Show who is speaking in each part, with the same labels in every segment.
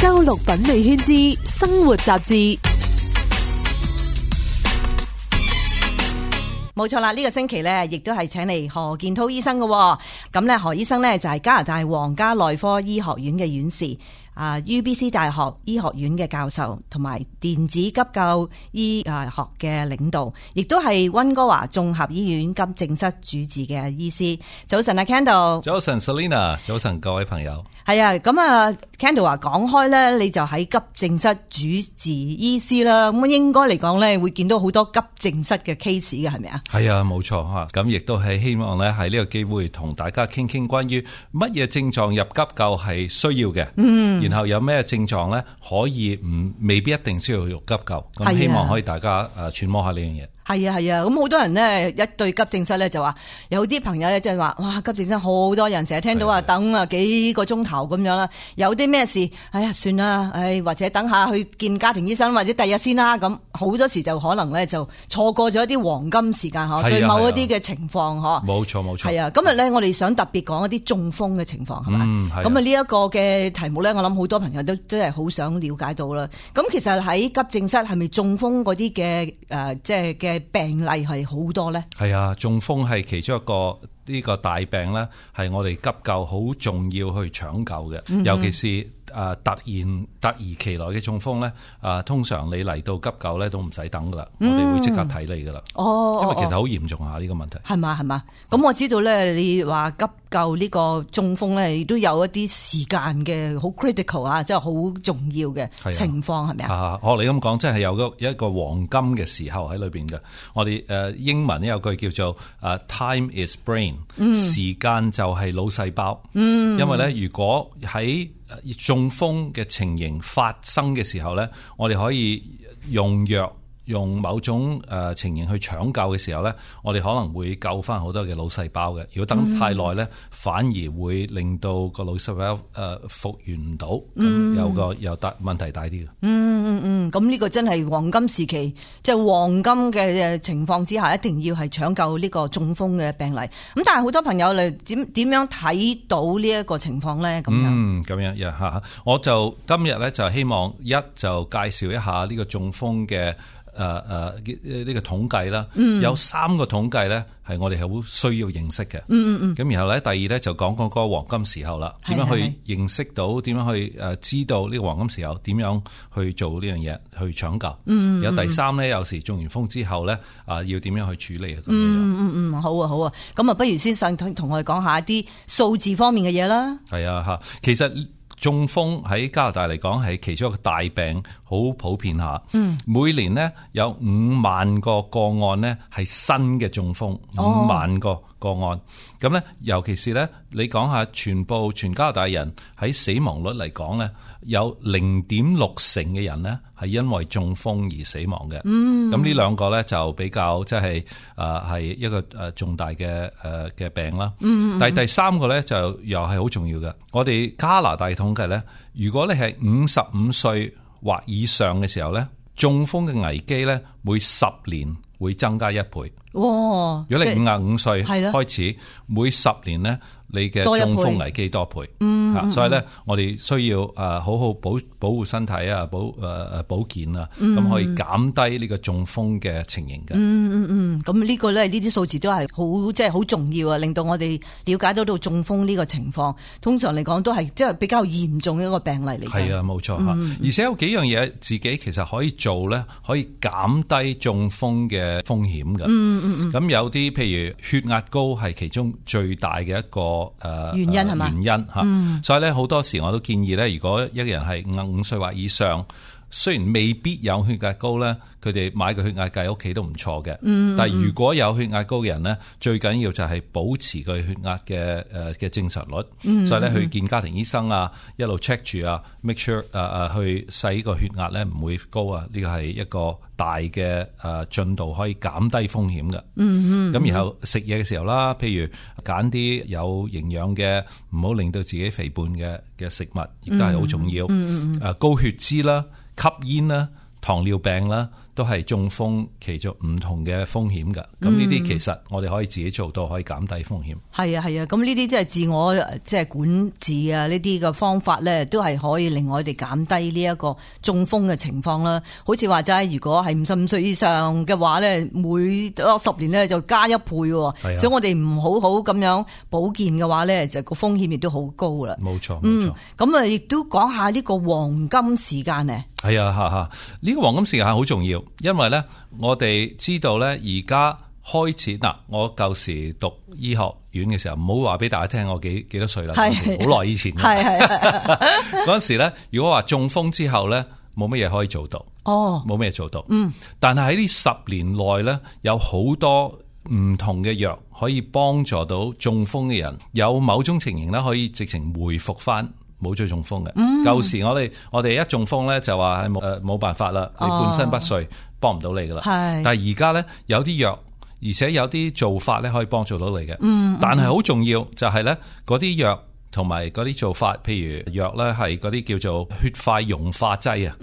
Speaker 1: 周六品味圈之生活雜誌。
Speaker 2: 冇錯啦，呢個星期咧，亦都係請嚟何建滔醫生嘅。咁咧，何醫生咧就係加拿大皇家內科醫學院嘅院士，UBC 大學醫學院嘅教授，同埋電子急救醫學嘅領導，亦都係溫哥華綜合醫院急症室主治嘅醫師。早晨啊 Kendall，
Speaker 3: 早晨 Selina， 早晨各位朋友。
Speaker 2: 係啊，咁啊 Kendall 話講開咧，你就喺急症室主治醫師啦，咁應該嚟講咧會見到好多急症室嘅 case 嘅，係咪啊？
Speaker 3: 係啊，冇錯吓，咁亦都係希望咧喺呢個機會同大家傾傾關於乜嘢症狀入急救係需要嘅，然後有咩症狀咧可以未必一定需要入急救，咁希望可以大家揣摩下呢樣嘢。
Speaker 2: 係啊係啊，咁好多人咧一對急症室咧就話，有啲朋友咧即係話，哇急症室好多人，成日聽到話等啊幾個鐘頭咁樣啦，有啲咩事，哎呀算啦，或者等下去見家庭醫生或者第日先啦，咁好多時就可能咧就錯過咗一啲黃金時間嗬，對某一啲嘅情況嗬。冇錯冇錯。係啊，今日咧我哋想特別講一啲中風嘅情況係嘛，咁啊呢一個嘅題目咧，我諗好多朋友都真係好想了解到啦。咁其實喺急症室係咪中風嗰啲嘅即係嘅病例係好多咧？係啊，
Speaker 3: 中風係其中一個呢個大病咧，係我哋急救好重要去搶救嘅，尤其是突如其來嘅中風咧，通常你嚟到急救咧都唔使等噶啦，我哋會即刻睇你噶啦。因為其實好嚴重下呢個問題。係嘛？咁我知道咧，你話急救呢個中風咧，亦都有一啲時間嘅好 critical 啊，即係好重要嘅情況，係咪啊？學你咁講，真係有一個黃金嘅時候喺裏邊嘅。我哋英文有句叫做time is brain，時間就係腦細胞。因為咧，如果喺中風嘅情形發生嘅時候咧，我哋可以用藥，用某種情形去搶救嘅時候咧，我哋可能會救翻好多嘅腦細胞嘅。如果等太耐咧，反而會令到個腦細胞復原唔到，有問題大啲嘅。
Speaker 2: 咁呢個真係黃金時期，即係黃金嘅情況之下，一定要係搶救呢個中風嘅病例。咁但係好多朋友嚟點樣睇到呢一個情況咧？咁樣
Speaker 3: 我就今日咧就希望就介紹一下呢個中風嘅呢個統計啦。有3個統計咧係我哋係好需要認識嘅。咁然後咧第二咧就講嗰個黃金時候啦，點樣去認識到，點樣去知道呢個黃金時候點樣去做呢樣嘢去搶救。有第3咧，有時中完風之後咧要點樣去處理咁樣。
Speaker 2: 好啊，咁啊不如先同我哋講下一啲數字方面嘅嘢啦。
Speaker 3: 係啊，其實中風喺加拿大嚟講係其中一個大病，好普遍下。每年呢有5萬個個案呢係新嘅中風，5萬個個案。咁呢，尤其是呢，你講下全加拿大人喺死亡率嚟講呢，有0.6成嘅人呢係因為中風而死亡嘅。咁呢兩個呢就比較即係係一個重大嘅病啦。但係第3個呢就又係好重要嘅。我哋加拿大統計呢，如果你係55歲或以上嘅時候呢，中風嘅危機呢每10年會增加1倍。如果你55歲開始，每10年呢，你嘅中風危機多倍。所以咧，我哋需要好好保護身體啊，保健啊，咁可以減低呢個中風嘅情形嘅。
Speaker 2: 咁呢個咧，呢啲數字都係好即係好重要啊，令到我哋了解到中風呢個情況。通常嚟講都係即係比較嚴重嘅一個病例嚟嘅。係啊，冇錯吓。而且有幾樣嘢自己其實可以做咧，可以減低中風嘅風險嘅。咁有啲譬如血壓高係其中最大嘅一個原因係嘛？原因吓，所以咧好多時我都建議咧，如果一個人係55歲或以上，雖然未必有血壓高咧，佢哋買個血壓計喺屋企都唔錯嘅。但係如果有血壓高嘅人咧，最緊要就係保持佢血壓嘅正常率。所以咧去見家庭醫生啊，一路 check 住啊 ，make sure 去使個血壓咧唔會高啊。呢個係一個大嘅進度，可以減低風險嘅。咁然後食嘢嘅時候啦，譬如揀啲有營養嘅，唔好令到自己肥胖嘅食物，亦都係好重要。高血脂啦、吸煙啦、糖尿病啦，
Speaker 3: 都係中風其中唔同嘅風險㗎。咁呢啲其實我哋可以自己做到，可以減低風險。
Speaker 2: 係啊係啊，咁呢啲即係自我即係管治啊，呢啲嘅方法咧，都係可以令我哋減低呢一個中風嘅情況啦。好似話齋，如果係55歲以上嘅話咧，每10年咧就加1倍喎。所以我哋唔好好咁樣保健嘅話咧，就個風險亦都好高啦。
Speaker 3: 冇錯冇錯。
Speaker 2: 咁啊，亦都講下呢個黃金時間呢。
Speaker 3: 係啊，呢個黃金時間好重要，因為咧我哋知道咧而家開始嗱，我舊時讀醫學院嘅時候，唔好話俾大家聽我幾多歲啦，好耐以前嘅。嗰陣時咧，如果話中風之後咧，冇乜嘢可以做到，冇乜嘢做到。但係喺呢10年內咧，有好多唔同嘅藥可以幫助到中風嘅人，有某種情形咧可以直情回復翻。冇咗中風嘅，舊時我哋一中風咧就話係冇辦法啦，你半身不遂，幫唔到你噶啦。但係而家咧有啲藥，而且有啲做法咧可以幫助到你嘅。但係好重要就係咧嗰啲藥同埋嗰啲做法，譬如藥咧係嗰啲叫做血塊溶化劑啊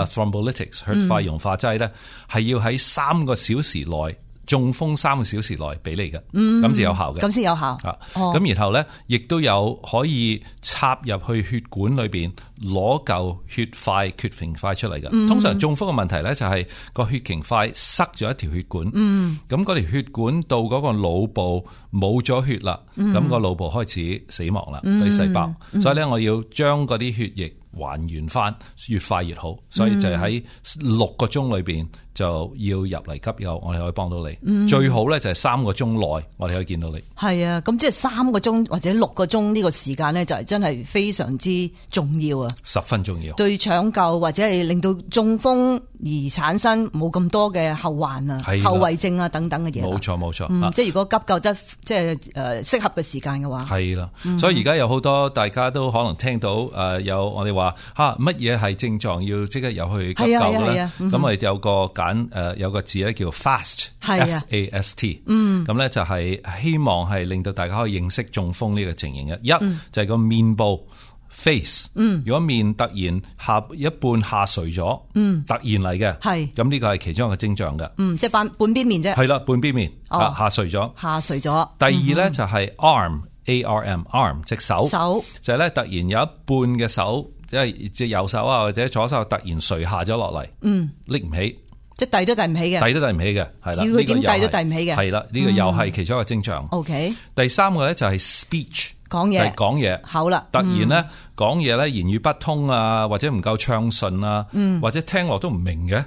Speaker 3: ，thrombolytics 血塊溶化劑咧係要喺3個小時內。中風3個小時內俾你嘅，咁就有效嘅，
Speaker 2: 咁先有效。
Speaker 3: 咁然後咧，亦都有可以插入去血管裏邊攞嚿血塊缺形塊出嚟嘅。通常中風嘅問題咧就係個血形塊塞咗一條血管，咁嗰條血管到嗰個腦部冇咗血啦，咁個腦部開始死亡啦，啲細胞。所以咧，我要將嗰啲血液還原翻，越快越好。所以就係喺6個鐘裏邊就要入嚟急救，我哋可以幫到你。最好咧就係3個鐘內，我哋可以見到你。係
Speaker 2: 啊，咁即係3個鐘或者6個鐘呢個時間咧，就係真係非常之重要啊！
Speaker 3: 十分重要，
Speaker 2: 對搶救或者係令到中風而產生冇咁多嘅後患啊、後遺症啊等等嘅嘢。冇錯，即係如果急救得即係適合嘅時間嘅話，係啦。所以而家有好多大家都可能聽到有我哋話乜嘢係症狀要即刻入去急救咧？咁我哋有個有個字咧叫 FAST，FAST，咁咧就係希望係令到大家可以認識中風呢個情形嘅。一就係個面部 face，如果面突然一半下垂咗，突然嚟嘅，咁呢個係其中一個症狀嘅。即係半邊面啫。係啦，半邊面下垂咗。第二咧就係 arm 隻手，就係咧突然有一半嘅手，即係隻右手啊或者左手突然垂下咗落嚟，拎唔起。即係遞都遞唔起嘅，遞都遞唔起嘅，係啦。佢點遞都遞唔起嘅，係啦。呢個又係其中一個徵象。OK。第3個咧就係 speech， 講嘢，就係講嘢。好啦，突然咧講嘢咧言語不通啊，或者唔夠暢順啊，或者聽落都唔明嘅。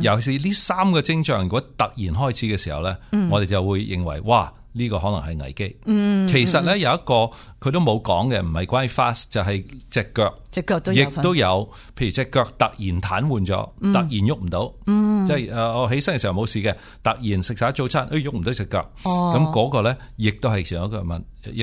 Speaker 2: 尤其是呢3個徵象，如果突然開始嘅時候咧，我哋就會認為哇，呢個可能係危機。其實咧有一個佢都冇講嘅，唔係關於 fast， 就係隻腳都有，亦都有。譬如隻腳突然癱瘓咗，突然喐唔到，即係我起身嘅時候冇事嘅，突然食晒早餐，喐唔到隻腳。咁嗰個咧，亦都係其中一個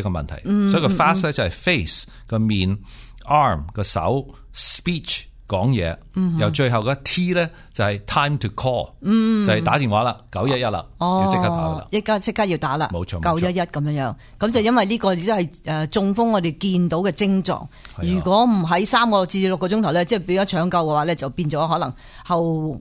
Speaker 2: 問題。所以個 fast 咧就係 face 個面 ，arm 個手 ，speech 講嘢，由最後個 T 咧就係 time to call，就係打電話啦，911啦，要即刻打噶啦，即刻要打啦，冇錯，911咁樣，咁就因為呢個亦都係中風我哋見到嘅症狀。如果唔喺3個至6個鐘頭咧，即係變咗搶救嘅話咧，就變咗可能後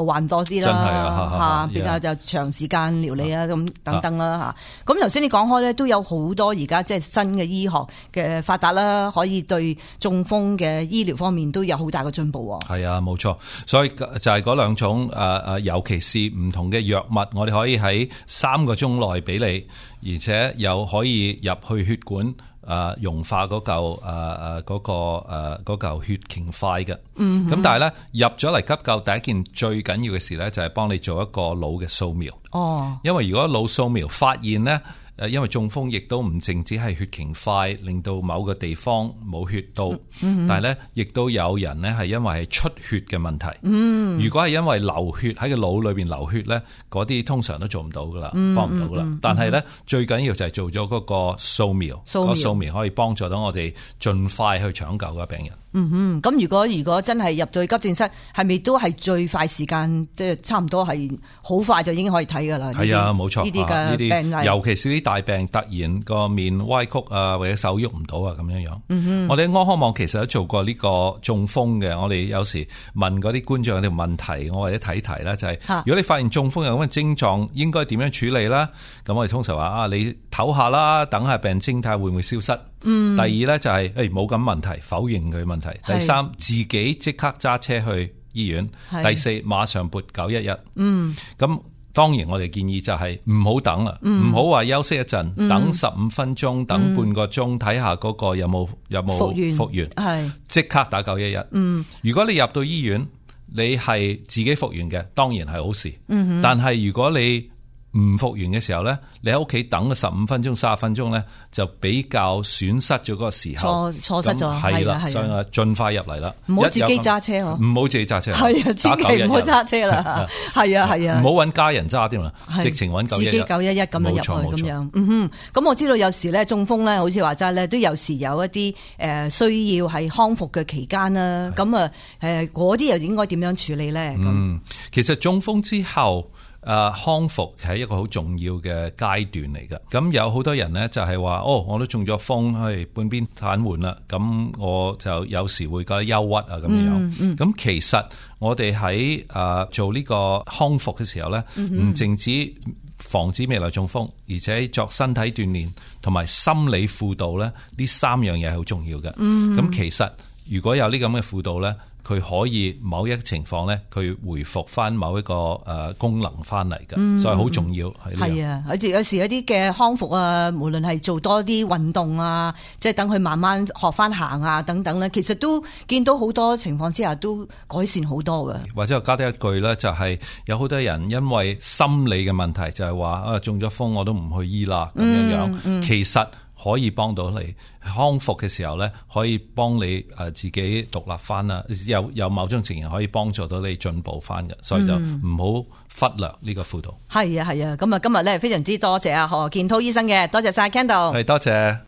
Speaker 2: 患多啲啦，比較就長時間療理啊咁等等啦嚇。咁頭先你講開咧，都有好多而家即係新嘅醫學嘅發達啦，可以對中風嘅醫療方面都有好大嘅進步。係啊，冇錯，所以就係嗰2種尤其是唔同嘅藥物，我哋可以喺3個鐘內俾你，而且又可以入去血管溶化嗰嚿血凝塊嘅。咁但係咧入咗嚟急救，第一件最緊要嘅事咧就係幫你做一個腦嘅掃描。因為如果腦掃描發現咧。因為中風亦都唔淨止係血凝塊，令到某個地方冇血到，但係咧亦都有人咧係因為係出血嘅問題。如果係因為流血喺個腦裏邊流血咧，嗰啲通常都做唔到噶啦，幫唔到噶啦。但係咧最緊要就係做咗嗰個掃描，個掃描可以幫助到我哋盡快去搶救個病人。咁如果真係入到去急症室，係咪都係最快時間，即係差唔多係好快就已經可以睇噶啦？係啊，冇錯。呢啲嘅病例，尤其是啲
Speaker 3: 大病突然個面歪曲啊，或者手喐唔到啊咁樣樣。我哋喺安康網其實都做過呢個中風嘅，我哋有時問嗰啲觀眾有條問題，我或者睇題啦，就係如果你發現中風有咁嘅症狀，應該點樣處理啦？咁我哋通常話你唞下啦，等下病徵睇下會唔會消失。第二咧就係冇咁問題，否認佢問題。第三，自己即刻揸車去醫院。第四，馬上撥911。咁當然我哋建議就係唔好等啦，唔好話休息一陣，等15分鐘，等半個鐘，睇下嗰個有冇復原，即刻打911。如果你入到醫院，你係自己復原嘅，當然係好事。但係如果你唔復原嘅時候咧，你喺屋企等個15分鐘、30分鐘咧，就比較損失咗嗰個時候，
Speaker 1: 錯失咗。
Speaker 3: 係啦，所以盡快入嚟啦，
Speaker 1: 唔好自己揸車嗬，
Speaker 3: 唔好自己揸車，
Speaker 1: 係啊，千祈唔好揸車啦，係啊，
Speaker 3: 唔好揾家人揸添啦，直情揾911，
Speaker 1: 自己911咁樣入去咁樣。咁我知道有時咧中風咧，好似話齋咧，都有時有一啲需要係康復嘅期間啦。咁嗰啲又應該點樣處理咧？
Speaker 3: 其實中風之後，康復係一個好重要嘅階段嚟㗎。咁有好多人呢，就係話，我都中咗風，半邊癱瘓啦。咁我就有時會覺得憂鬱啊咁樣。咁其實我哋喺做呢個康復嘅時候呢，唔淨止防止未來中風，而且作身體鍛煉同埋心理輔導呢，呢3樣嘢係好重要嘅。咁其實如果有呢咁嘅輔導呢，佢可以某一情況咧，佢回復翻某一個功能翻嚟嘅，所以好重要係啊！
Speaker 1: 有時有啲嘅康復啊，無論係做多啲運動啊，即係等佢慢慢學翻行啊等等咧，其實都見到好多情況之下都改善好多嘅。
Speaker 3: 或者我加多一句咧，就係有好多人因為心理嘅問題，就係話中咗風我都唔去醫啦咁樣樣，其實可以幫到你康復嘅時候咧，可以幫你自己獨立翻啦，有某種情形可以幫助到你進步翻嘅，所以就唔好忽略呢個輔導。
Speaker 1: 係啊，咁啊今日咧非常之多謝何建滔醫生嘅，多謝晒 Kendall。
Speaker 3: 係多謝。